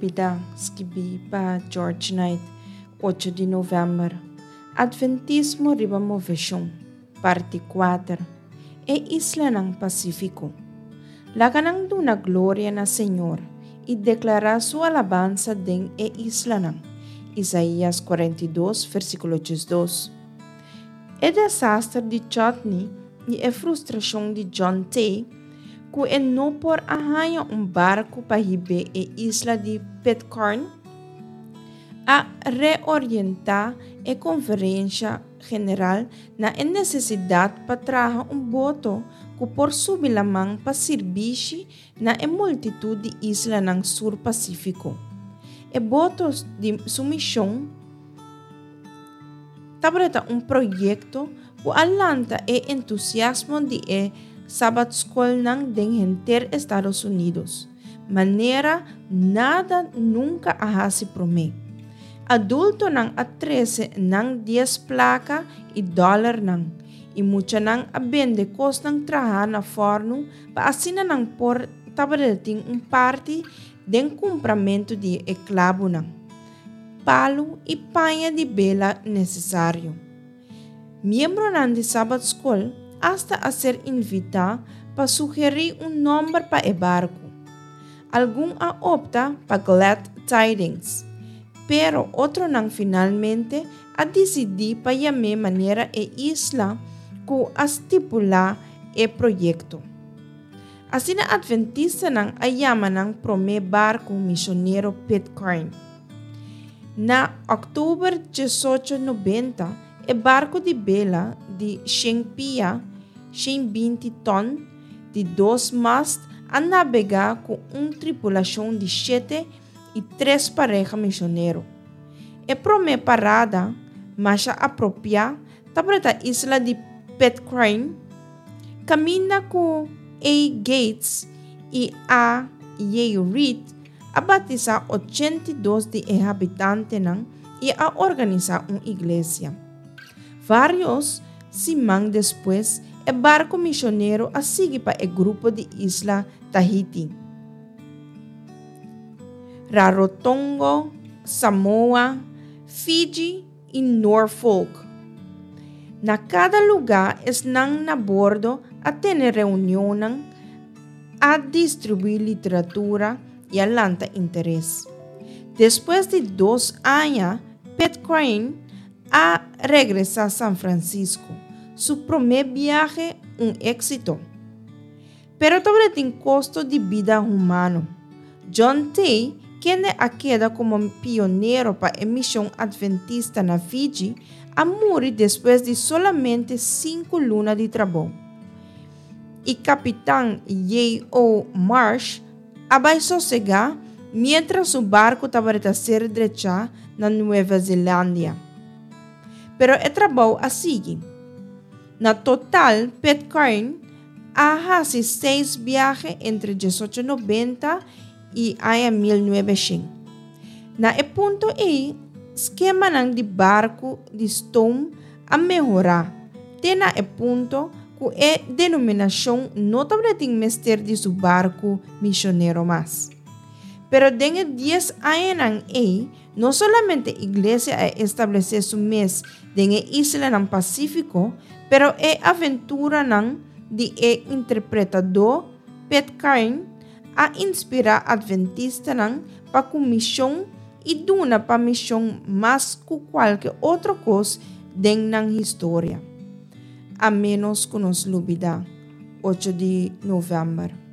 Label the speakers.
Speaker 1: Lubidá, skibí pa George Knight, ocho di novèmber. Atventismo riba moveshon, parti kuater. E islanan Pasífiko. Laga nan duna gloria na Señor i deklará su alabansa den e islanan. Isaías 42, versíkulo 12. E desaster di Chutney i e frustrashon di John Tay ku e no por a haña un barku pa hib'é e isla di Pitcairn, a reorientá e konferensha general na e nesesidat pa traha un boto ku por subi laman pa sirbishi na e multitut di islanan Sur Pasífiko. E boto di su mishon tabata un proyekto ku a lanta e entusiasmo di e Sabatskolnan den henter Estados Unidos, manera nada nunka a hasi promé. Adultonan a trese nan dies plaka i dòlernan, i muchanan a bende kosnan trahá na fòrnu pa asina nan por tabata tin un parti den kumpramentu di e klabunan, palu i paña di bela nesesario. Miembronan di Sabat Skol asta a ser invitá pa sugerí un nòmber pa e barku. Algun a opta pa Glad Tidings, pero otronan finalmente a disidí pa yam'é manera e isla ku a stipulá e proyekto. Asina Adventistanan a yama nan promé barku misionero Pitcairn. Na òktober 1890, e barku di bela di shen pia, 120 tòn, di dos mast a nabegá ku un tripulashon di shete i tres pareha misionero. E promé parada, masha apropiá, tabata isla di Pitcairn, kaminda ku A. Gates i A. J. Reed a batisá 82 di e habitantenan i a organisá un iglesia. Vários siman despues, e barku misionero a sigui pa e grupo di isla Tahiti, Rarotongo, Samoa, Fiji i Norfolk. Na kada lugá esnan na bordo a tene reunionnan, a distribuí literatura i a lanta interes. Despues di dos aña, Pitcairn a regresá San Francisco, su promé biahe un éksito. Pero tabatin kosto di bida humano. John Tay, kende a keda komo pionero pa e mishon adventista na Fiji, a muri despues di solamente sinku luna di trabou. I kapitan J. O. Marsh a bai sosegá miéntras su barku tabata ser drechá na Nueva Zelandia. Pero e trabou a sigui. Na total, Pitcairn a hasi seis biahe entre 1890 i aña 1900. Na e punto ei, skemanan di barku di stoom a mehorá te na e punto ku e denominashon no tabatin mester di su barku misionero mas. Pero den e dies añanan ei, no solamente iglesia a establesé su mes den e islanan Pasífiko, pero e aventuranan di e interpretadó Pitcairn a inspirá adventistanan pa ku mishon i duna pa mishon mas ku kualke otro kos den nan historia. A ménos ku nos lubidá, ocho di novèmber.